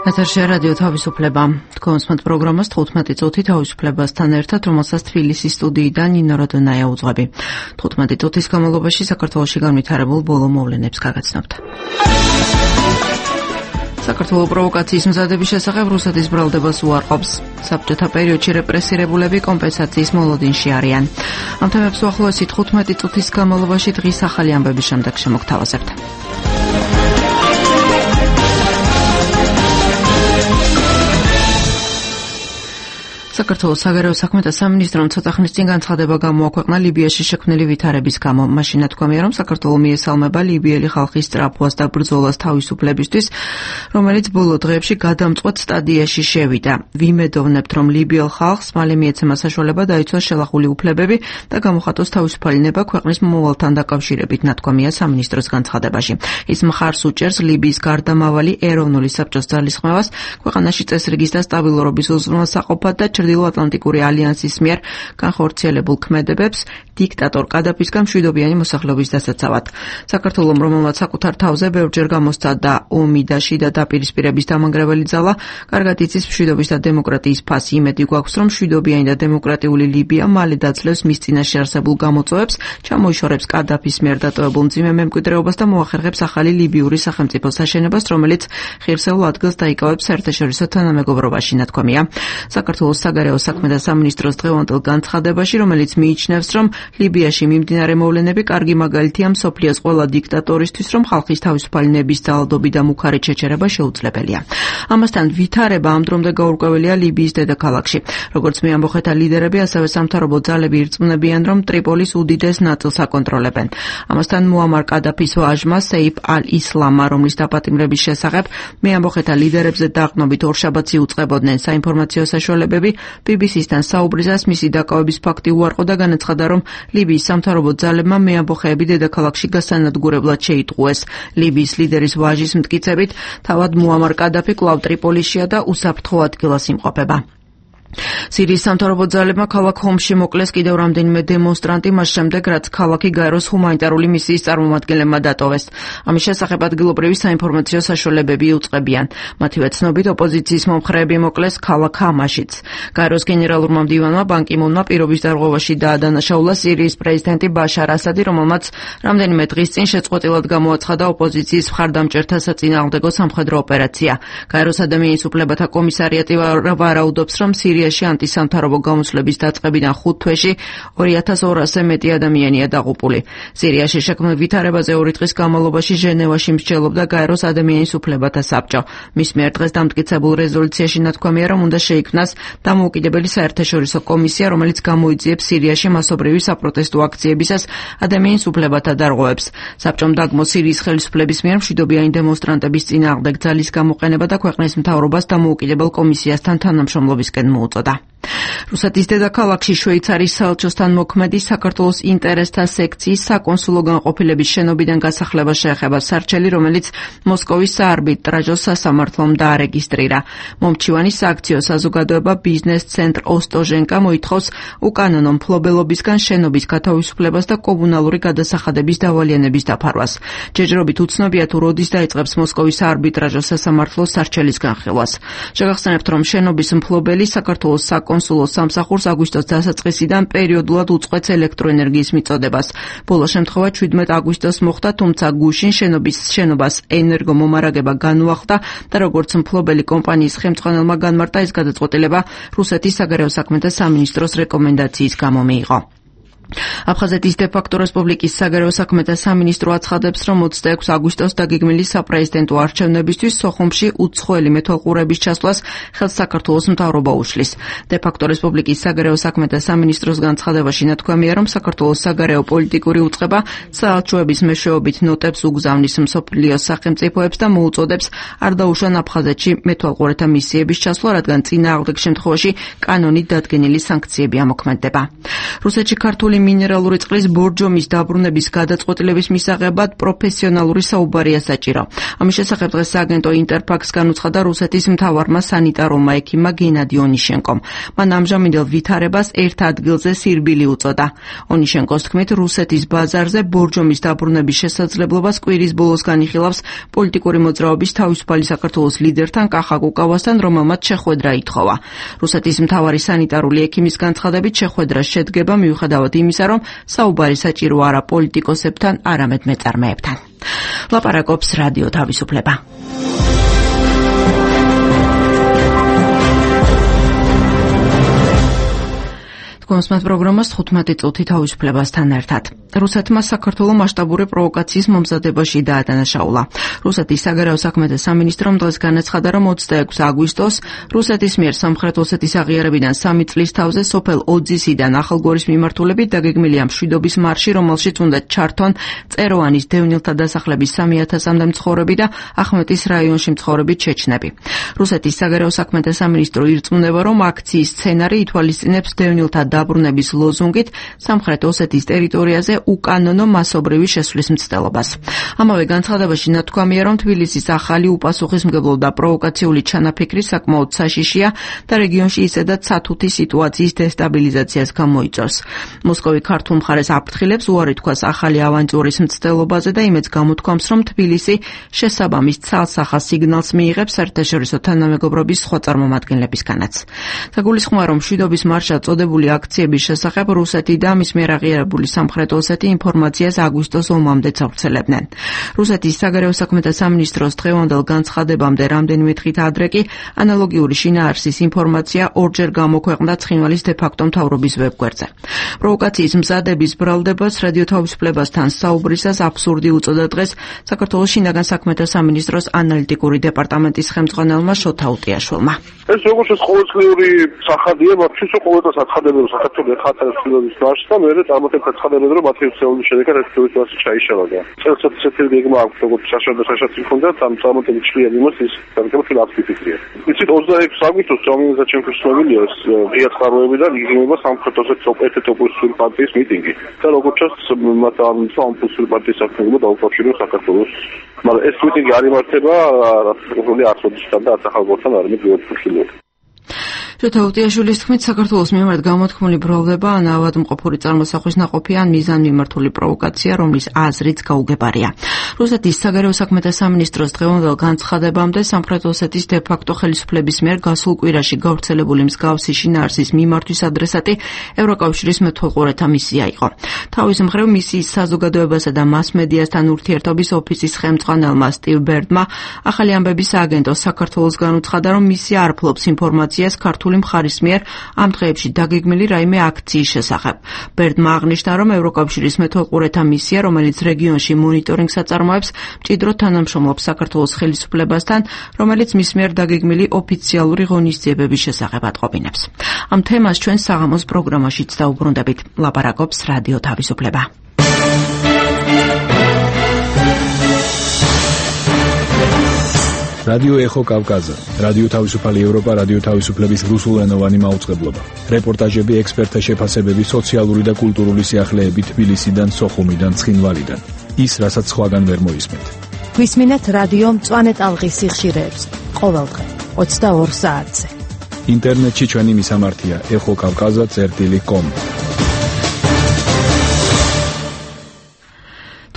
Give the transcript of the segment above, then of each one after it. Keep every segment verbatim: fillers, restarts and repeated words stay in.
ეთერში რადიო თავისუფლება. თქვენ უსმენთ პროგრამას თხუთმეტი წუთი თავისუფლებასთან ერთად, რომელსაც თბილისის სტუდიიდან ნინო როდონაია უძღვები. თხუთმეტი წუთის განმავლობაში საქართველოში განვითარებულ ბოლო მოვლენებს გაგაცნობთ. საქართველოს პროვოკაციის მზადების შესახებ რუსეთის ბრალდებას უარყოფს. საბჭოთა პერიოდში რეპრესირებულები კომპენსაციის მოლოდინში არიან. ამ თემებს უახლოესი თხუთმეტი წუთის განმავლობაში დღის ახალი ამბების შემდეგ შემოგთავაზებთ. საქართველოს საგარეო საქმეთა სამინისტრომ ცოტა ხნის წინ განცხადება გამოაქვეყნა ლიბიაში შექმნილი ვითარების გამო. მაშინ ნათქვამია, რომ საქართველო მიესალმება ლიბიელი ხალხის სწრაფვას და ბრძოლას თავისუფლებისთვის, რომელიც ბოლო დღეებში გადამწყვეტ სტადიაში შევიდა. ვიმედოვნებთ, რომ ლიბიელ ხალხს მალე მიეცემა საშუალება დაიცვას შელახული უფლებები და გამოხატოს თავისუფალი ნება ქვეყნის მომავალთან დაკავშირებით, ნათქვამია სამინისტროს განცხადებაში. ის მხარს უჭერს ლიბიის გარდამავალი ეროვნული საბჭოს ძალისხმევას, ქვეყანაში წესრიგის და სტაბილურობის უზრუნველსაყოფად და ჩრდილოატლანტიკური ალიანსის მიერ განხორციელებულ ქმედებებს დიქტატორ კადაფისგან მშვიდობიანი მოსახლეობის დასაცავად. საქართველომ, რომელმაც საკუთარ თავზე ბევრჯერ გამოსცა და ომი და შიდა დაპირისპირების დამანგრეველი ძალა, კარგად იცის მშვიდობის და დემოკრატიის ფასი. იმედი გვაქვს, რომ მშვიდობიანი და დემოკრატიული ლიბია მალე დაძლევს მის წინაშე არსებულ გამოწვევებს, ჩამოიშორებს კადაფის მიერ დატოვებულ მძიმე მემკვიდრეობას და მოახერხებს ახალი ლიბიური სახელმწიფოს აშენებას, რომელიც ღირსეულ ადგილს დაიკავებს საერთაშორისო თანამეგობრობაში, ნათქვამია. საქართველოს საგარეო საქმეთა სამინისტროს დღევანდელ განცხადებაში, რომელიც მიიჩნევს, რომ ლიბიაში მიმდინარე მოვლენები კარგი მაგალითია მსოფლიოს ყველა დიქტატორისთვის, რომ ხალხის თავისუფალი ნების ძალადობი და მუქარი ჩეჩერება შეუძლებელია. ამასთან ვითარება ამ დრომდე გაურკვეველია ლიბიის დედაქალაქში. როგორც მეამბოხეთა ლიდერები, ასევე სამთავრობო ძალები ირწმუნებიან, რომ ტრიპოლის უდიდეს ნაწილს აკონტროლებენ. ამასთან მუამარ კადაფის ვაჟმა სეიფ ალ-ისლამმა, რომლის დაპატიმრების შესახებ მეამბოხეთა ლიდერებზე დაყრდნობით ორშაბათს იუწყებოდნენ საინფორმაციო საშუალებები, ბი ბი სი-სთან საუბრისას მისი დაკავების ფაქტი უარყო და განაცხადა, რომ ლიბიის სამთავრობო ძალებმა მეამბოხეები დედაქალაქში გასანადგურებლად შეიტყუეს. ლიბიის ლიდერის ვაჟის მტკიცებით, თავად მუამარ კადაფი კვლავ ტრიპოლისშია და უსაფრთხო ადგილას იმყოფება. სირიის სამთავრობო ძალებმა ქალაქ ჰომსში მოკლეს კიდევ რამდენიმე დემონსტრანტი, მას შემდეგ, რაც ქალაქი გაეროს ჰუმანიტარული მისიის წარმომადგენლებმა დატოვეს. ამის შესახებ ადგილობრივი საინფორმაციო საშუალებები იუწყებიან. მათივე ცნობით, ოპოზიციის მომხრეები მოკლეს ქალაქ ჰამაშიც. გაეროს გენერალურმა მდივანმა ბან კი მუნმა პირობის დარღვევაში დაადანაშაულა სირიის პრეზიდენტი ბაშარ ასადი, რომელმაც რამდენიმე დღის წინ შეწყვეტილად გამოაცხადა ოპოზიციის მხარდამჭერთა საწინააღმდეგო სამხედრო ოპერაცია. გაეროს ადამიანის უფლებათა კომისარიატი ვარაუდობს, რომ სირიაში ანტისამთავრობო გამოსვლების დაწყებიდან ხუთ თვეში ორი ათას ორასზე მეტი ადამიანია დაღუპული. სირიაში შექმნილ ვითარებაზე ორი დღის განმავლობაში ჟენევაში მსჯელობდა გაეროს ადამიანის უფლებათა საბჭო. მის მიერ დღეს დამტკიცებულ რეზოლუციაში ნათქვამია, რომ უნდა შეიქმნას დამოუკიდებელი საერთაშორისო კომისია, რომელიც გამოიძიებს სირიაში მასობრივი საპროტესტო აქციებისას ადამიანის უფლებათა დარღვევებს. საბჭომ დაგმო სირიის ხელისუფლების მიერ მშვიდობიანი დემონსტრანტების წინააღმდეგ ძალის გამოყენება და ქვეყნის მთავრობას დამოუკიდებელ კომისიასთან თანამშრომლობისკენ მოუწოდა. რუსეთის დედაქალაქში შვეიცარიის საელჩოსთან მოქმედი საქართველოს ინტერესთა სექციის საკონსულო განყოფილების შენობიდან გასახლება შეეხება სარჩელი, რომელიც მოსკოვის საარბიტრაჟო სასამართლომ დაარეგისტრირა. მომჩივანი სააქციო საზოგადოება ბიზნეს ცენტრ ოსტოჟენკა მოითხოვს უკანონო მფლობელობისგან შენობის გათავისუფლებას და კომუნალური გადასახადების დავალიანების დაფარვას. ჯერჯერობით უცნობია თუ როდის დაიწყებს მოსკოვის საარბიტრაჟო სასამართლო სარჩელის განხილვას. შეგახსენებთ, რომ შენობის მფლობელი საქართველოს საკონსულო სამსახურს აგვისტოს დასაწყისიდან პერიოდულად უწყვეტს ელექტროენერგიის მიწოდებას. ბოლო შემთხვევა ჩვიდმეტ აგვისტოს მოხდა, თუმცა გუშინ შენობის შენობას ენერგომომარაგება განუახდა და როგორც მფლობელი კომპანიის ხელმძღვანელმა განმარტა, ეს გადაწყვეტილება რუსეთის საგარეო საქმეთა სამინისტროს რეკომენდაციის გამო მიიღო. აფხაზეთის დე-ფაქტო რესპუბლიკის საგარეო საქმეთა სამინისტრო აცხადებს, რომ ოცდაექვსი აგვისტოს დაგეგმილი საპრეზიდენტო არჩევნებისთვის სოხუმში უცხოელი მეთვალყურების ჩასვლას ხელს საქართველოს მთავრობა უშლის. დე-ფაქტო რესპუბლიკის საგარეო საქმეთა სამინისტროს განცხადებაში ნათქვამია, რომ საქართველოს საგარეო პოლიტიკური უწყება საელჩოების მეშვეობით ნოტებს უგზავნის მსოფლიოს სახელმწიფოებს და მოუწოდებს არ დაუშვან აფხაზეთში მეთვალყურეთა მისიების ჩასვლა, რადგან წინააღმდეგ შემთხვევაში კანონით დადგენილი სანქციები ამოქმედდება. რუსეთში ქართული მინერალური წყლის ბორჯომის დაბრუნების გადაწყვეტილების მისაღებად პროფესიონალური საუბარია საჭირო. ამის შესახებ დღეს სააგენტო ინტერფაქს განუცხადა რუსეთის მთავარმა სანიტარულმა ექიმმა გენადი ონიშენკომ. მან ამჟამინდელ ვითარებას ერთ ადგილზე სირბილი უწოდა. ონიშენკოს თქმით, რუსეთის ბაზარზე ბორჯომის დაბრუნების შესაძლებლობას კვირის ბოლოს განიხილავს პოლიტიკური მოძრაობის თავისუფალი საქართველოს ლიდერთან კახა კუკავასთან, რომელმაც შეხვედრა ითხოვა. რუსეთის მთავარი სანიტარული ექიმის განცხადებით შეხვედრას შედგება მიუხედავად იმისა, რომ საუბარი საჭირო არა პოლიტიკოსებთან, არამედ მეწარმეებთან. ლაპარაკობს რადიო თავისუფლება. კონსმათ პროგრამას თხუთმეტი წუთი თავისუფლებასთან ერთად. რუსეთმა საქართველოს მასშტაბური პროვოკაციის მომზადებაში დაადანაშაულა. რუსეთის საგარეო საქმეთა სამინისტრომ დღეს განაცხადა, რომ ოცდაექვსი აგვისტოს რუსეთის მიერ სამხრეთ ოსეთის აღიარებიდან სამი წლის თავზე სოფელ ოძისიდან ახალგორის მიმართულებით დაგეგმილია მშვიდობის მარში, რომელშიც უნდა ჩართონ წეროვანის დევნილთა დასახლების სამი ათასამდე მცხოვრები და ახმეტის რაიონში მცხოვრები ჩეჩნები. რუსეთის საგარეო საქმეთა სამინისტრო ირწმუნება, რომ აქციის სცენარი ითვალისწინებს დევნილთა დაბრუნების ლოზუნგით სამხრეთ ოსეთის ტერიტორიაზე უკანონო მასობრივი შესვლის მცდელობას. ამავე განცხადებაში ნათქვამია, რომ თბილისის ახალი უპასუხისმგებლო და პროვოკაციული ჩანაფიქრი საკმაოდ საშიშია და რეგიონში ისედაც სათუთი სიტუაციის დესტაბილიზაციას გამოიწვევს. მოსკოვი ქართულ მხარეს აფრთხილებს უარი თქვას ახალი ავანტურის მცდელობაზე და იმედს გამოთქვამს, რომ თბილისი შესაბამის ცალსახას სიგნალს მიიღებს საერთაშორისო თანამეგობრობის სხვა წარმომადგენლებისგანაც. საგულისხმოა, რომ მშვიდობის მარშად წოდებული აქციების შესახებ რუსეთი და მის მიერ აღიარებული სამხრეთ ოსეთი ინფორმაციას აგვისტოს ომამდე ავრცელებდნენ. რუსეთის საგარეო საქმეთა სამინისტროს დღევანდელ განცხადებამდე რამდენიმე დღით ადრე კი ანალოგიური შინაარსის ინფორმაცია ორჯერ გამოქვეყნდა ცხინვალის დე-ფაქტო მთავრობის ვებგვერდზე. პროვოკაციის მზადების ბრალდებას რადიო თავისუფლებასთან საუბრისას აბსურდი უწოდა დღეს საქართველოს შინაგან საქმეთა სამინისტროს ანალიტიკური დეპარტამენტის ხელმძღვანელმა შოთა უტიაშვილმა. ეს როგორც ყოველწლიური სახადია, მათთვის ყოველდღე აცხადებენ საქართველოს ეხალხის მშვიდობის მარშს და მეორე წარმატებით აცხადებენ, რომ მათი უსწრებლის შედეგად ეს მშვიდობის მარში ჩაიშალა. წელსაც ესეთი გეგმა აქვს, როგორც საშუალო საშუალო ჰქონდა, ამ წარმატებით შვიდი იმას ის საკუთარ აქტივიტეტია. იცით ოცდაექვსი აგვისტოს ჯამინგა ჩემთვის მოვილია ღია წყაროებიდან იგივნება სამხრეთ ოსეთის ერთ-ერთი ოპოზიციური პარტიის მიტინგი. და როგორც ჩანს, მათ ამ ოპოზიციური პარტიის საქმეობა დაუკავშირებს საქართველოს. მაგრამ ეს მიტინგი არ იმართება რუსული ათწოდისთან და ახალგორთან არ მიგიოთქილოთ. შოთა უტიაშვილის თქმით, საქართველოს მიმართ გამოთქმული ბრალდება ან ავადმყოფური წარმოსახვის ნაყოფი ან მიზანმიმართული პროვოკაცია, რომლის აზრიც გაუგებარია. რუსეთის საგარეო საქმეთა სამინისტროს დღევანდელ განცხადებამდე სამხრეთ ოსეთის დე-ფაქტო ხელისუფლების მიერ გასულ კვირაში გავრცელებული მსგავსი შინაარსის მიმართვის ადრესატი ევროკავშირის მეთვალყურეთა მისია იყო. თავის მხრივ მისიის საზოგადოებასა და მასმედიასთან ურთიერთობის ოფისის ხელმძღვანელმა სტივ ბერდმა ახალი ამბების სააგენტოს საქართველოს განუცხადა, რომ მისია არ ფლობს ინფორმაციას ქართული მხარის მიერ ამ დღეებში დაგეგმილი რაიმე აქციის შესახებ. ბერდმა აღნიშნა, რომ ევროკავშირის მეთვალყურეთა მისია, რომელიც რეგიონში მონიტორინგს აწარმოებს, მჭიდროდ თანამშრომლობს საქართველოს ხელისუფლებასთან, რომელიც მის მიერ დაგეგმილი ოფიციალური ღონისძიებების შესახებ ატყობინებს. ამ თემას ჩვენ საღამოს პროგრამაშიც დაუბრუნდებით. ლაპარაკობს რადიო თავისუფლება. რადიო ეხო კავკაზა, რადიო თავისუფალი ევროპა, რადიო თავისუფლების რუსულენოვანი მაუწყებლობა. რეპორტაჟები, ექსპერტთა შეფასებები, სოციალური და კულტურული სიახლეები თბილისიდან, სოხუმიდან, ცხინვალიდან. ის, რასაც სხვაგან ვერ მოისმენთ. გვისმინეთ რადიო მწვანე ტალღის სიხშირეებს ყოველდღე ოცდაორ საათზე. ინტერნეტში ჩვენი მისამართია ეხო კავკაზა წერტილი კომ.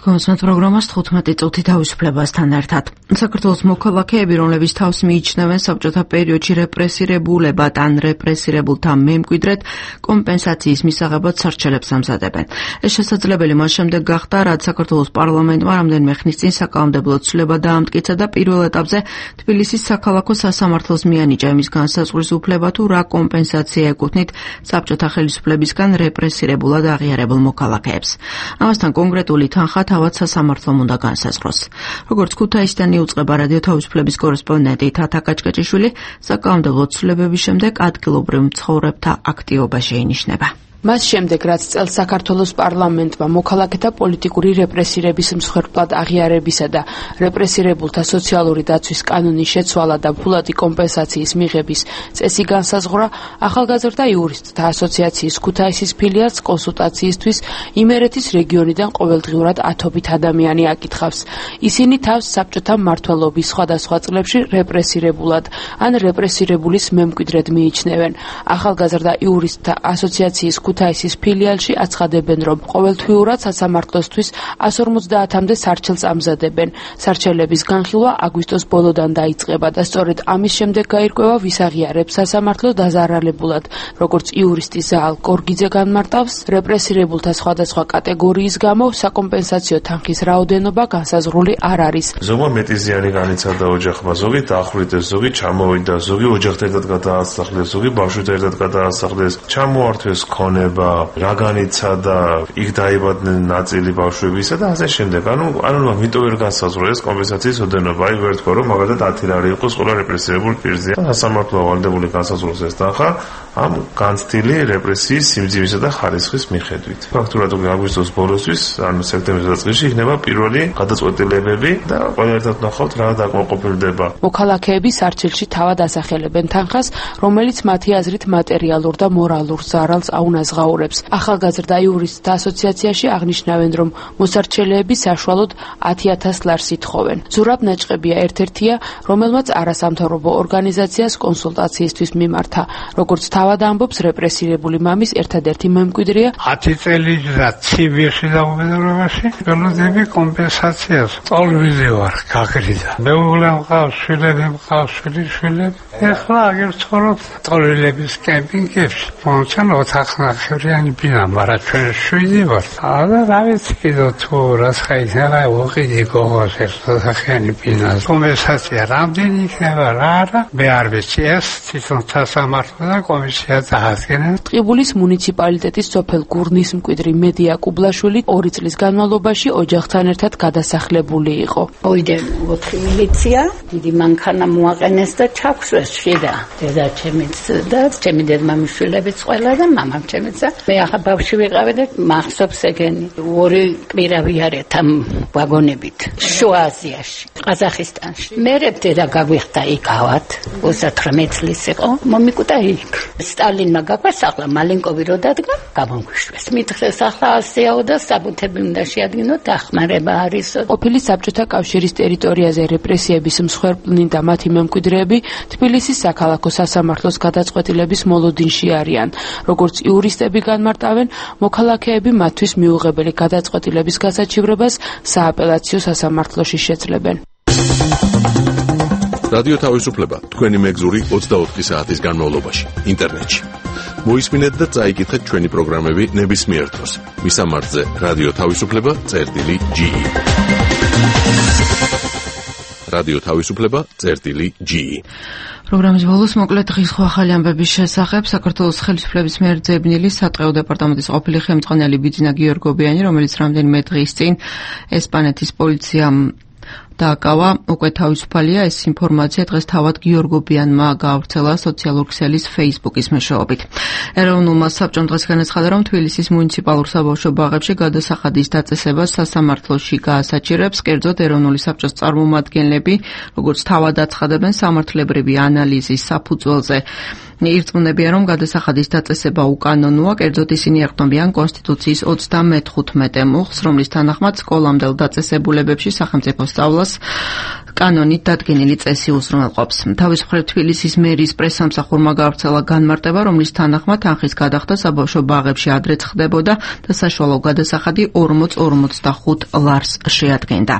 კონსმათ პროგრამას თხუთმეტი წუთი თავისუფლებასთან ერთად. საქართველოს მოქალაქეები, რომლებიც თავს მიიჩნევენ საბჭოთა პერიოდში რეპრესირებულებად ან რეპრესირებულთა მემკვიდრედ, კომპენსაციის მისაღებად სარჩელებს ამზადებენ. ეს შესაძლებელი მას შემდეგ გახდა, რაც საქართველოს პარლამენტმა რამდენიმე ხნის წინ საკანონმდებლო ცვლილება დაამტკიცა და პირველ ეტაპზე თბილისის საქალაქო სასამართლოს მიანიჭა იმის განსაზღვრის უფლება, თუ რა კომპენსაცია ეკუთვნით საბჭოთა ხელისუფლებისგან რეპრესირებულად აღიარებულ მოქალაქეებს. ამასთან კონკრეტული თანხა თავად სასამართლომ უნდა განსაზღვროს. როგორც ქუთაისიდან იუწყება რადიო თავისუფლების კორესპონდენტი თათა კაჭკაჭიშვილი, საკანონმდებლო ცვლილებების შემდეგ ადგილობრივ მცხოვრებთა აქტივობა შეინიშნება. მას შემდეგ, რაც წელს საქართველოს პარლამენტმა მოქალაქეთა პოლიტიკური რეპრესირების მსხვერპლად აღიარებისა და რეპრესირებულთა სოციალური დაცვის კანონის შეცვალა და ფულადი კომპენსაციის მიღების წესი განსაზღვრა, ახალგაზრდა იურისტთა ასოციაციის ქუთაისის ფილიალს კონსულტაციისთვის იმერეთის რეგიონიდან ყოველდღიურად ათობით ადამიანი აკითხავს. ისინი თავს საბჭოთა მმართველობის სხვადასხვა წლებში რეპრესირებულად ან რეპრესირებულის მემკვიდრედ მიიჩნევენ. ახალგაზრდა იურისტთა ასოციაციის ქუთაისის ფილიალში აცხადებენ, რომ ყოველთვიურად სასამართლოსთვის εκατს ორმოცდაათამდე სარჩელს ამზადებენ. სარჩელების განხილვა აგვისტოს ბოლოდან დაიწყება და სწორედ ამის შემდეგ გაირკვევა, ვის აღიარებს სასამართლო დაზარალებულად. როგორც იურისტი ზაალ კორგიძე განმარტავს, რეპრესირებულთა სხვადასხვა კატეგორიის გამო საკომპენსაციო თანხის რაოდენობა განსაზღვრული არ არის. ზოგმა მეტი ზიანი განიცადა ოჯახმა, ზოგი დაახვრიტეს, ზოგი ჩამოვიდა, ზოგი ოჯახთან ერთად გადაასახლეს, ზოგი ბავშვთან ერთად გადაასახლეს, ჩამოართვეს ქონება, რა განიცადა, იქ დაიბადნენ ნაწილი ბავშვებისა და ასე შემდეგ. ანუ ანუ ამიტომ ვერ განსაზღვრა ეს კომპენსაციის ოდენობა. აი ვერ თქვა, რომ მაგალითად ათი ლარი იყოს ყველა რეპრესირებულ პირზე. სასამართლო ვალდებული განსაზღვროს ეს თანხა ამ განცდილი რეპრესიის სიმძიმისა და ხარისხის მიხედვით. ფაქტურად აგვისტოს ბოლოსთვის, ანუ სექტემბრის დასაწყისში იქნება პირველი გადაწყვეტილებები და ყველა ერთად ნახავთ რა დაკმაყოფილდება. მოქალაქეები სარჩელში თავად ასახელებენ თანხას, რომელიც მათი აზრით მატერიალურ და მორალურ ზარალს აუნაზღაურებს. ახალგაზრდა იურისტთა ასოციაციაში აღნიშნავენ, რომ მოსარჩელეები საშუალოდ ათი ათას ლარს ითხოვენ. ზურაბ ნაჭყებია ერთ-ერთია, რომელმაც არასამთავრობო ორგანიზაციას კონსულტაციისთვის მიმართა. როგორც თავად ამბობს, რეპრესირებული მამის ერთადერთი მემკვიდრეა. ათი წელი და ცივში დაუბედურებაში გელოდები კომპენსაციას. წოლვილი ვარ, გაგრიდა. მეუღლე მყავს, შვილები მყავს, შვილიშვილები. ეხლა აგერ ცხოვრობ წოლვილების კემპინგებში. მომჩან ოთახნახევრიანი ბინა, მაგრამ ჩვენ შვიდი ვარ. არა, რა ვიცი კიდევ თუ რას ხაიძალა უყიდი გოგოს ერთოთახიანი ბინა. კომპენსაცია რამდენი იქნება რა არა? მე არ ვიცი ეს თვითონ სასამართლო და კომისია დაადგენენ. ტყიბულის მუნიციპალიტეტის სოფელ გურნის მკვიდრი მედია კუბლაშვილი ორი წლის განმავლობაში ოჯახთან ერთად გადასახლებული იყო. ოიდე ოთხი მილიცია, დიდი მანქანა მოაყენეს და ჩაქვსვეს შიდა. დედა ჩემიც და ჩემი დედმამიშვილებიც ყველა და მამამ ჩემიც და მე ახლა ბავშვი ვიყავი და მახსოვს ეგენი. ორი კვირავი არეთ ამ ვაგონებით შუა აზიაში, ყაზახისტანში. მერე დედა გაგვიხდა იქავად, ოცდაოთხმეტ წლის იყო, მომიკუტა იქ. სტალინმა გაგვასახლა, მალინკოვი რო დადგა, გამომგვიშვეს. მითხრეს ახლა ასეაო და საბუთები უნდა შეადგინოთ, დახმარება არისო. ყოფილი საბჭოთა კავშირის ტერიტორიაზე რეპრესიების მსხვერპლნი და მათი მემკვიდრეები თბილისის საქალაქო სასამართლოს გადაწყვეტილების მოლოდინში არიან. როგორც იურისტები განმარტავენ, მოქალაქეები მათთვის მიუღებელი გადაწყვეტილების გასაჩივრებას სააპელაციო სასამართლოში შეძლებენ. რადიო თავისუფლება თქვენი მეგზური ოცდაოთხი საათის განმავლობაში ინტერნეტში. მოისმინეთ და წაიკითხეთ ჩვენი პროგრამები ნებისმიერ დროს. მისამართზე რადიო თავისუფლება წერტილი ჯი. რადიო თავისუფლება წერტილი ჯი. პროგრამის ბოლოს მოკლედ დღის ახალი ამბების შესახებ საქართველოს ხელისუფლების მიერ ძებნილი სატყეო დეპარტამენტის ყოფილი ხელმძღვანელი ბიძინა გიორგობიანი, რომელიც რამდენიმე დღის წინ ესპანეთის პოლიციამ დააკავა, უკვე თავისუფალია. ეს ინფორმაცია დღეს თავად გიორგობიანმა გაავრცელა სოციალურ ქსელის Facebook-ის მეშვეობით. ეროვნულმა საბჭომ დღეს განაცხადა, რომ თბილისის მუნიციპალურ საბავშვო ბაღებში გადასახადის დაწესებას სასამართლოში გაასაჭირებს. კერძოდ, ეროვნული საბჭოს წარმომადგენლები, როგორც თავად აცხადებენ, სამართლებრივი ანალიზის საფუძველზე ირწმუნებიან, რომ გადასახადის დაწესება უკანონოა. კერძოდ, ისინი ეყრდნობიან კონსტიტუციის ოცდამეთხუთმეტე მუხლს, რომლის თანახმად სკოლამდელ დაწესებულებებში სახელმწიფო სწავლას კანონით დადგენილი წესი უზრუნველყოფს. თავისუფლად თბილისის მერის პრესსამსახურმა გაავრცელა განმარტება, რომლის თანახმად თანხის გადახდა საბავშვო ბაღებში ადრეც ხდებოდა და საშუალო გადასახადი ორმოც ორმოცდახუთ ლარს შეადგენდა.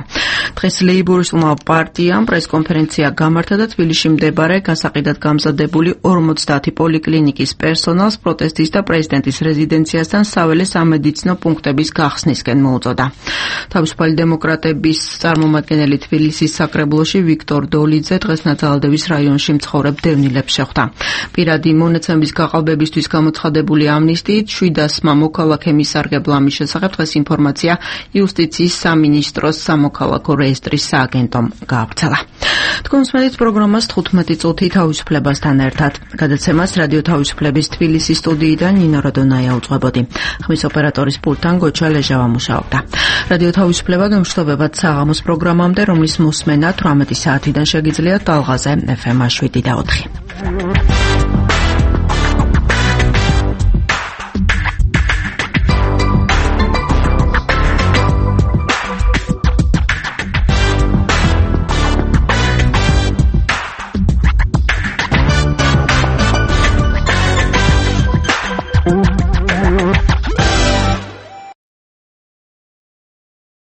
დღეს ლეიბორისტულმა პარტიამ პრესკონფერენცია გამართა და თბილისში მდებარე გასაყიდად გამზადებული ორმოცდაათი პოლიკლინიკის პერსონალს პროტესტის და პრეზიდენტის რეზიდენციასთან საველე სამედიცინო პუნქტების გახსნისკენ მოუწოდა. თავისუფალი დემოკრატების წარმომადგენელი თბილისის საკრებულოს სასწავლებლოში ვიქტორ დოლიძე დღეს ნაძალადევის რაიონში მცხოვრებ დევნილებს შეხვდა. პირადი მონაცემების გაყალბებისთვის გამოცხადებული ამნისტიით შვიდასმა მოქალაქემ ისარგებლა ამის შესახებ დღეს ინფორმაცია იუსტიციის სამინისტროს სამოქალაქო რეესტრის სააგენტომ გაავრცელა. თქვენ მსმენთ პროგრამას თხუთმეტი წუთი თავისუფლებასთან ერთად. გადაცემას რადიო თავისუფლების თბილისის სტუდიიდან ნინო როდონაია უძღვებოდი. ხმის ოპერატორის პულტთან გოჩა ლეჟავა მუშაობდა. რადიო თავისუფლება გემშვიდობებად საღამოს პროგრამამდე, რომლის მოსმენა თვრამეტი საათიდან შეგიძლიათ ტალღაზე ეფ ემ შვიდ და ოთხი.